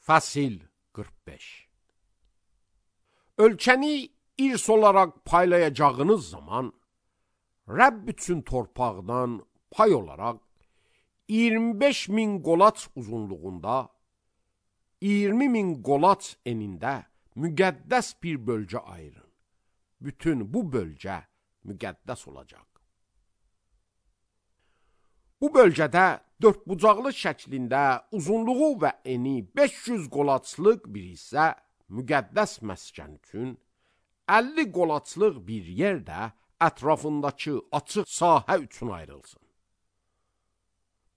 Fəsil 45. Ölkəni irs olaraq paylayacağınız zaman, Rəbb üçün torpaqdan pay olaraq 25.000 qolaç uzunluğunda, 20.000 qolaç enində müqəddəs bir bölgə ayırın. Bütün bu bölgə müqəddəs olacaq. Bu bölgədə dördbucaqlı şəklində uzunluğu və eni 500 qolaçlıq bir hissə müqəddəs məskən üçün, 50 qolaçlıq bir yer də ətrafındakı açıq sahə üçün ayrılsın.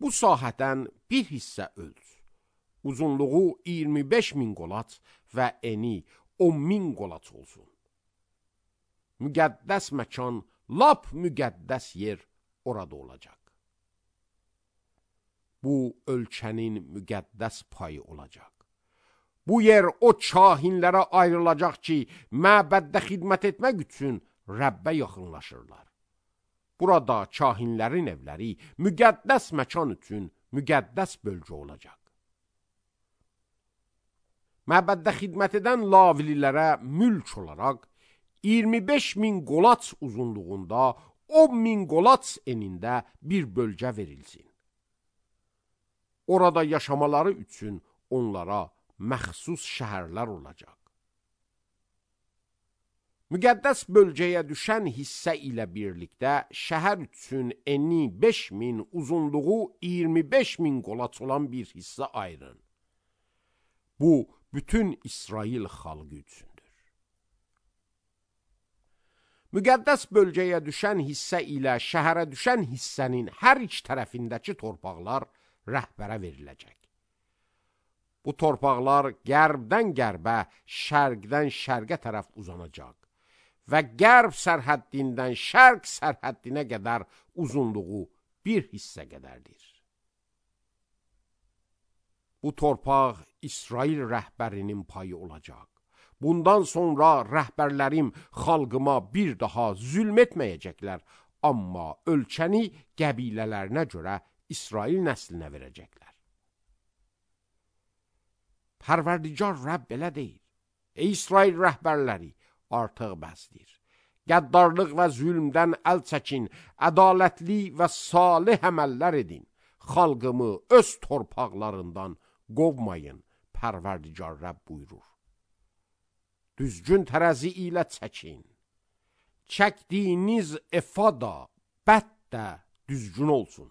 Bu sahədən bir hissə ölç, uzunluğu 25.000 qolaç və eni 10.000 qolaç olsun. Müqəddəs məkan, lap müqəddəs yer orada olacaq. Bu ölkənin müqəddəs payı olacaq. Bu yer o kahinlərə ayrılacaq ki, məbəddə xidmət etmək üçün Rəbbə yaxınlaşırlar. Burada kahinlərin evləri müqəddəs məkan üçün müqəddəs bölgə olacaq. Məbəddə xidmət edən lavililərə mülk olaraq 25.000 qolaç uzunluğunda, 10.000 qolaç enində bir bölgə verilsin. Orada yaşamaları üçün onlara məxsus şəhərlər olacaq. Müqəddəs bölgəyə düşən hissə ilə birlikdə şəhər üçün eni 5.000, uzunluğu 25.000 qolaç olan bir hissə ayırın. Bu, bütün İsrail xalqı üçündür. Müqəddəs bölgəyə düşən hissə ilə şəhərə düşən hissənin hər iki tərəfindəki torpaqlar rəhbərə veriləcək. Bu torpaqlar qərbdən qərbə, şərqdən şərqə tərəf uzanacaq və qərb sərhəddindən şərq sərhəddinə qədər uzunluğu bir hissə qədərdir. Bu torpaq İsrail rəhbərinin payı olacaq. Bundan sonra rəhbərlərim xalqıma bir daha zülm etməyəcəklər, amma ölkəni qəbilələrinə görə İsrail nəslinə verəcəklər. Pərverdigar Rəbb belə deyir: Ey İsrail rəhbərləri, artıq bəsdir. Qəddarlıq və zülmdən əl çəkin, ədalətli və salih əməllər edin. Xalqımı öz torpaqlarından qovmayın, Pərverdigar Rəbb buyurur. Düzgün tərəzi ilə çəkin. Çəkdiyiniz efada, bət də düzgün olsun.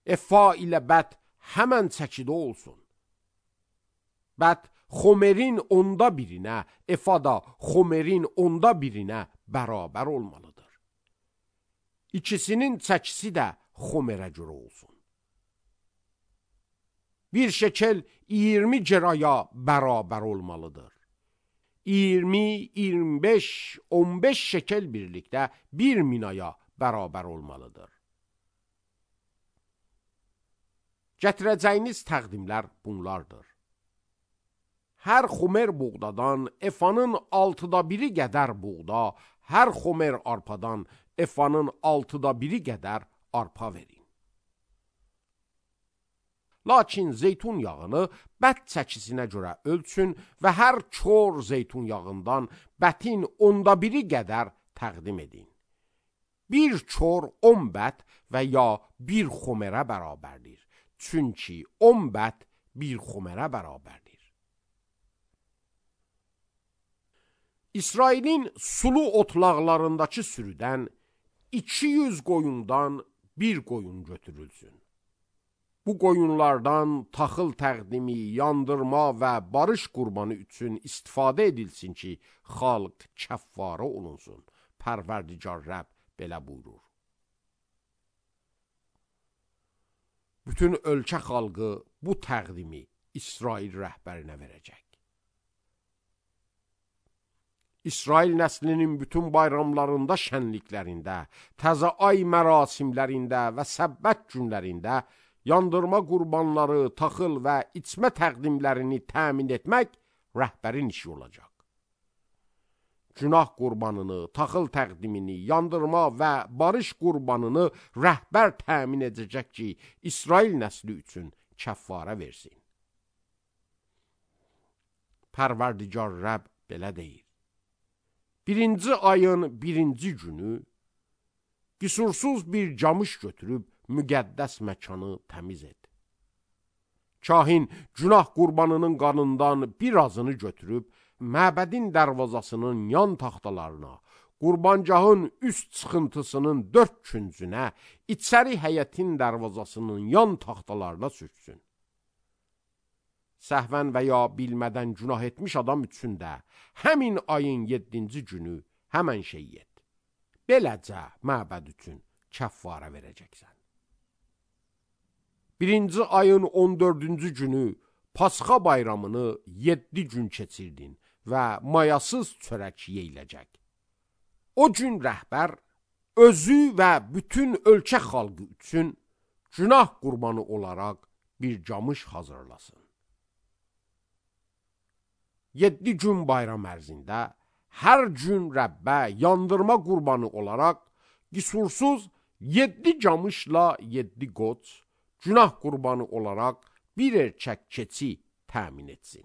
Efa ilə bət həmən çəkidə olsun. Bət xomerin onda birinə, efada xomerin onda birinə bərabər olmalıdır. İkisinin çəkisi də xomerə görə olsun. Bir şekel 20 ceraya bərabər olmalıdır. 20, 25, 15 şekel birlikdə 1 minaya bərabər olmalıdır. Gətirəcəyiniz təqdimlər bunlardır. Hər xomer buğdadan efanın 1/6 qədər buğda, hər xomer arpadan efanın 1/6 qədər arpa verin. Lakin zeytun yağını bət çəkisinə görə ölçün və hər kor zeytun yağından bətin 1/10 qədər təqdim edin. Bir kor 10 bət və ya bir xomerə bərabərdir. Çünki 10 bət bir xomerə bərabərdir. İsrailin sulu otlaqlarındakı sürüdən 200 qoyundan bir qoyun götürülsün. Bu qoyunlardan taxıl təqdimi, yandırma və barış qurbanı üçün istifadə edilsin ki, xalq kəffarə olunsun. Pərverdigar Rəbb belə buyurur. Bütün ölkə xalqı bu təqdimi İsrail rəhbərinə verəcək. İsrail nəslinin bütün bayramlarında, şənliklərində, təzə ay mərasimlərində və səbbət günlərində yandırma qurbanları, taxıl və içmə təqdimlərini təmin etmək rəhbərin işi olacaq. Günah qurbanını, taxıl təqdimini, yandırma və barış qurbanını rəhbər təmin edəcək ki, İsrail nəsli üçün kəffarə versin. Pərverdigar Rəbb belə deyir. Birinci ayın birinci günü qüsursuz bir camış götürüb müqəddəs məkanı təmiz et. Kahin günah qurbanının qanından birazını götürüb məbədin dərvazasının yan taxtalarına, qurbancağın üst çıxıntısının 4 küncünə, içəri həyətin dərvazasının yan taxtalarına sürsün. Səhvən və ya bilmədən günah etmiş adam üçün də həmin ayın 7-ci günü həmən şey et. Beləcə məbəd üçün kəffarə verəcəksən. Birinci ayın 14-cü günü Pasxa bayramını 7 gün keçirdin və mayasız çörək yeyiləcək. O gün rəhbər özü və bütün ölkə xalqı üçün günah qurbanı olaraq bir camış hazırlasın. 7 gün bayram ərzində hər gün Rəbbə yandırma qurbanı olaraq qüsursuz 7 camışla 7 qoç, günah qurbanı olaraq bir erkək keçi təmin etsin.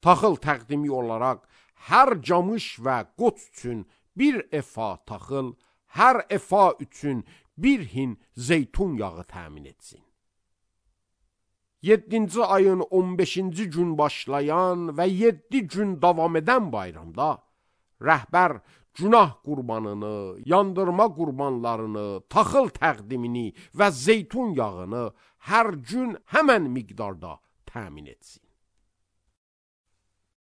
Taxıl təqdimi olaraq hər camış və qoç üçün bir efa taxıl, hər efa üçün bir hin zeytun yağı təmin etsin. 7-ci ayın 15-ci gün başlayan və 7 gün davam edən bayramda rəhbər günah qurbanını, yandırma qurbanlarını, taxıl təqdimini və zeytun yağını hər gün həmən miqdarda təmin etsin.